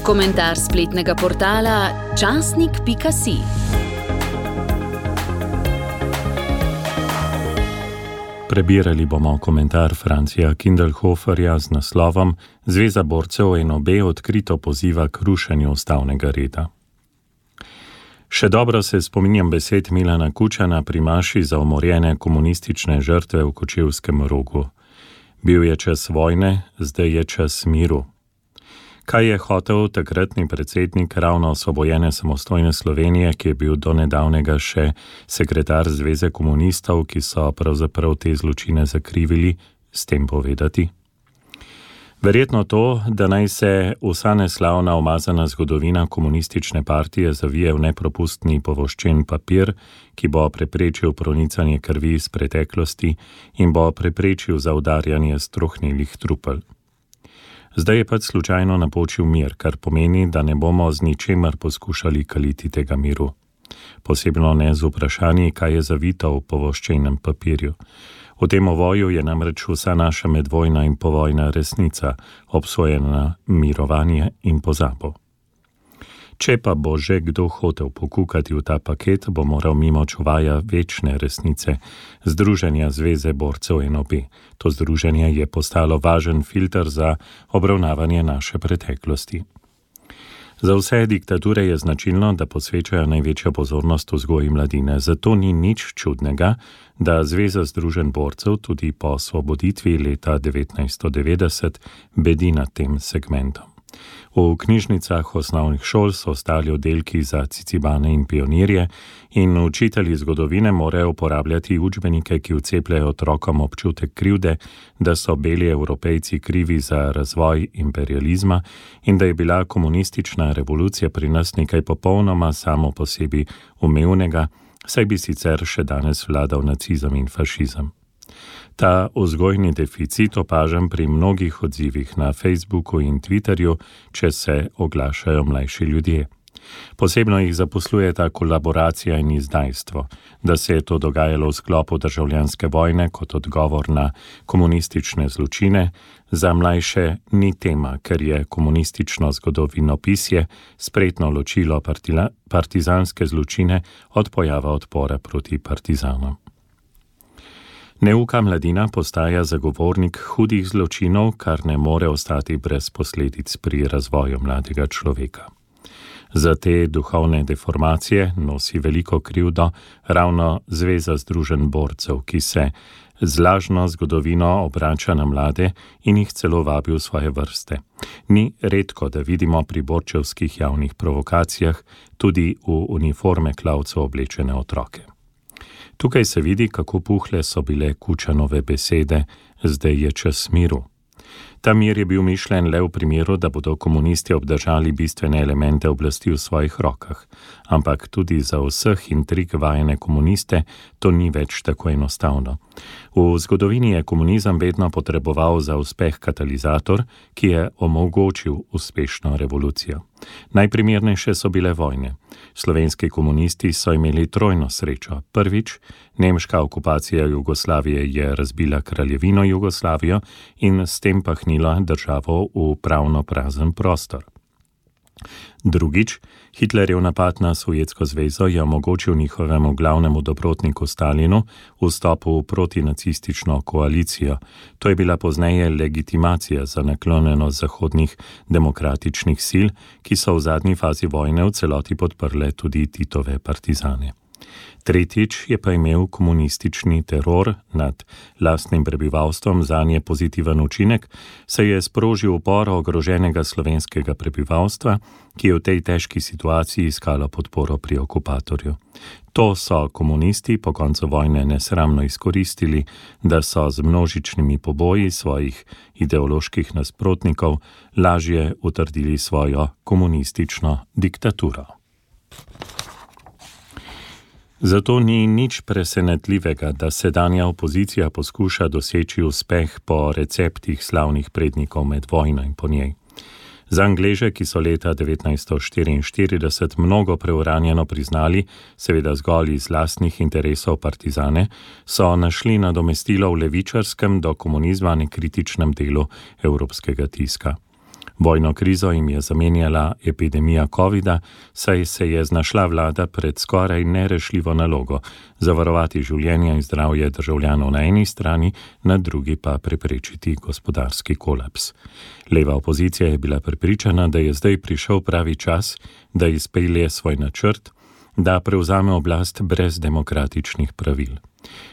Komentar spletnega portala časnik.si. Prebirali bomo komentar Francija Kindelhoferja z naslovom Zveza borcev NOB odkrito poziva k rušenju ustavnega reda. Še dobro se spominjam besed Milana Kučana pri maši za umorjene komunistične žrtve v Kočevskem Rogu. Bil je čas vojne, zdaj je čas miru. Kaj je hotel takratni predsednik ravno osvobojene samostojne Slovenije, ki je bil do nedavnega še sekretar Zveze komunistov, ki so pravzaprav te zločine zakrivili, s tem povedati? Verjetno to, da naj se vsa neslavna umazana zgodovina komunistične partije zavije v nepropustni povoščen papir, ki bo preprečil pronicanje krvi iz preteklosti in bo preprečil zaudarjanje strohnelih trupel. Zdaj je pač slučajno napočil mir, kar pomeni, da ne bomo z ničemer poskušali kaliti tega miru. Posebno ne z vprašanji, kaj je zavito v povoščenem papirju. V tem ovoju je namreč vsa naša medvojna in povojna resnica, obsojena na mirovanje in pozabo. Če pa bo že kdo hotel pokukati v ta paket, bo moral mimo čuvaja večne resnice, Združenja Zveze borcev NOB. To združenje je postalo važen filter za obravnavanje naše preteklosti. Za vse diktature je značilno, da posvečajo največjo pozornost vzgoji mladine, zato ni nič čudnega, da Zveza združenj borcev tudi po osvoboditvi leta 1990 bedi nad tem segmentom. V knjižnicah osnovnih šol so ostali oddelki za cicibane in pionirje in učitelji zgodovine morajo uporabljati učbenike, ki vcepljajo otrokom občutek krivde, da so beli Evropejci krivi za razvoj imperializma in da je bila komunistična revolucija pri nas nekaj popolnoma samo po sebi umevnega, saj bi sicer še danes vladal nacizem in fašizem. Ta vzgojni deficit opažam pri mnogih odzivih na Facebooku in Twitterju, če se oglašajo mlajši ljudje. Posebno jih zaposluje ta kolaboracija in izdajstvo, da se je to dogajalo v sklopu državljanske vojne kot odgovor na komunistične zločine, za mlajše ni tema, ker je komunistično zgodovinopisje spretno ločilo partizanske zločine od pojava odpora proti partizanom. Neuka mladina postaja zagovornik hudih zločinov, kar ne more ostati brez posledic pri razvoju mladega človeka. Za te duhovne deformacije nosi veliko krivdo ravno Zveza združenj borcev, ki se z lažno zgodovino obrača na mlade in jih celo vabi v svoje vrste. Ni redko, da vidimo pri borčevskih javnih provokacijah tudi v uniforme klavcev oblečene otroke. Tukaj se vidi, kako puhle so bile Kučanove besede, zdaj je čas miru. Ta mir je bil mišljen le v primeru, da bodo komunisti obdržali bistvene elemente oblasti v svojih rokah, ampak tudi za vseh intrig vajene komuniste to ni več tako enostavno. V zgodovini je komunizem vedno potreboval za uspeh katalizator, ki je omogočil uspešno revolucijo. Najprimernejše so bile vojne. Slovenski komunisti so imeli trojno srečo. Prvič, nemška okupacija Jugoslavije je razbila kraljevino Jugoslavijo in s tem pahnila državo v pravno prazen prostor. Drugič, Hitlerjev napad na Sovjetsko zvezo je omogočil njihovemu glavnemu dobrotniku Stalinu vstop v protinacistično koalicijo. To je bila pozneje legitimacija za naklonjenost zahodnih demokratičnih sil, ki so v zadnji fazi vojne v celoti podprle tudi Titove partizane. Tretjič je pa imel komunistični teror nad lastnim prebivalstvom zanje pozitiven učinek, saj je sprožil upor ogroženega slovenskega prebivalstva, ki je v tej težki situaciji iskalo podporo pri okupatorju. To so komunisti po koncu vojne nesramno izkoristili, da so z množičnimi poboji svojih ideoloških nasprotnikov lažje utrdili svojo komunistično diktaturo. Zato ni nič presenetljivega, da sedanja opozicija poskuša doseči uspeh po receptih slavnih prednikov med vojno in po njej. Za Angleže, ki so leta 1944 mnogo preuranjeno priznali, seveda zgolj iz lastnih interesov partizane, so našli nadomestilo v levičarskem do komunizma nekritičnem delu evropskega tiska. Vojno krizo jim je zamenjala epidemija covida, saj se je znašla vlada pred skoraj nerešljivo nalogo zavarovati življenje in zdravje državljanov na eni strani, na drugi pa preprečiti gospodarski kolaps. Leva opozicija je bila prepričana, da je zdaj prišel pravi čas, da izpelje svoj načrt, da prevzame oblast brez demokratičnih pravil.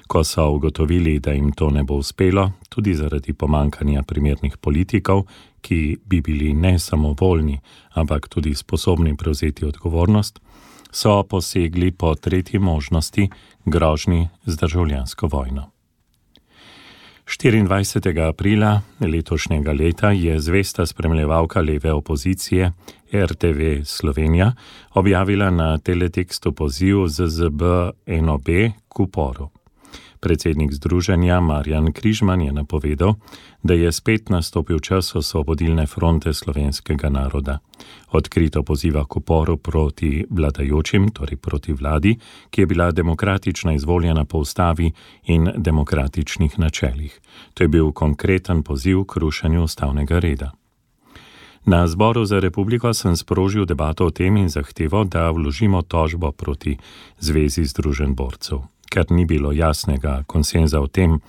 Ko so ugotovili, da jim to ne bo uspelo, tudi zaradi pomankanja primernih politikov, ki bi bili ne samo voljni, ampak tudi sposobni prevzeti odgovornost, so posegli po tretji možnosti, grožnji z državljansko vojno. 24. aprila letošnjega leta je zvesta spremljevalka leve opozicije RTV Slovenija objavila na teletekstu poziv ZZB-NOB k uporu. Predsednik združenja Marjan Križman je napovedal, da je spet nastopil čas Osvobodilne fronte slovenskega naroda. Odkrito poziva k uporu proti vladajočim, torej proti vladi, ki je bila demokratično izvoljena po ustavi in demokratičnih načelih. To je bil konkreten poziv k rušenju ustavnega reda. Na Zboru za republiko sem sprožil debato o tem in zahteval, da vložimo tožbo proti Zvezi združenj borcev. Ker ni bilo jasnega konsenza o tem,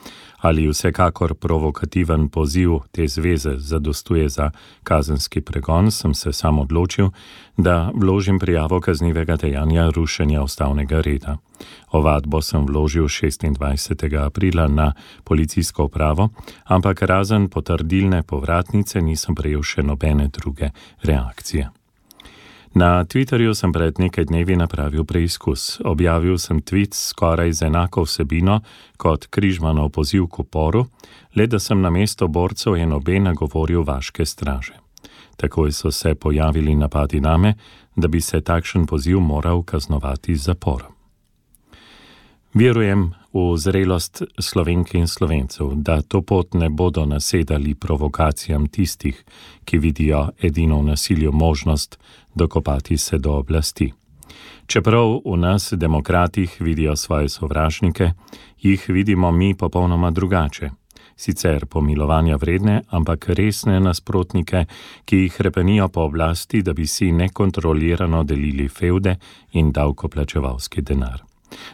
ali vsekakor provokativen poziv te zveze zadostuje za kazenski pregon, sem se sam odločil, da vložim prijavo kaznivega dejanja rušenja ustavnega reda. Ovadbo sem vložil 26. aprila na policijsko upravo, ampak razen potrdilne povratnice nisem prejel še nobene druge reakcije. Na Twitterju sem pred nekaj dnevi napravil preizkus. Objavil sem tweet skoraj z enako vsebino kot Križmanov poziv k uporu, le da sem namesto borcev NOB nagovoril vaške straže. Takoj so se pojavili napadi name, da bi se takšen poziv moral kaznovati z zaporom. Verujem v zrelost Slovenk in Slovencev, da to pot ne bodo nasedali provokacijam tistih, ki vidijo edino v nasilju možnost dokopati se do oblasti. Čeprav v nas, demokratih, vidijo svoje sovražnike, jih vidimo mi popolnoma drugače. Sicer pomilovanja vredne, ampak resne nasprotnike, ki jih hrepenijo po oblasti, da bi si nekontrolirano delili fevde in davkoplačevalski denar.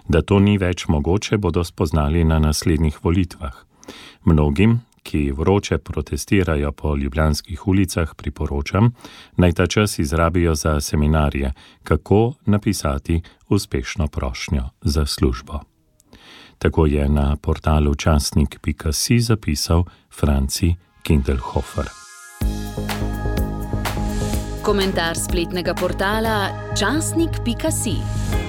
Da to ni več mogoče, bodo spoznali na naslednjih volitvah. Mnogim, ki vroče protestirajo po ljubljanskih ulicah, priporočam, naj ta čas izrabijo za seminarje, kako napisati uspešno prošnjo za službo. Tako je na portalu časnik.si zapisal Franci Kindelhofer. Komentar spletnega portala časnik.si.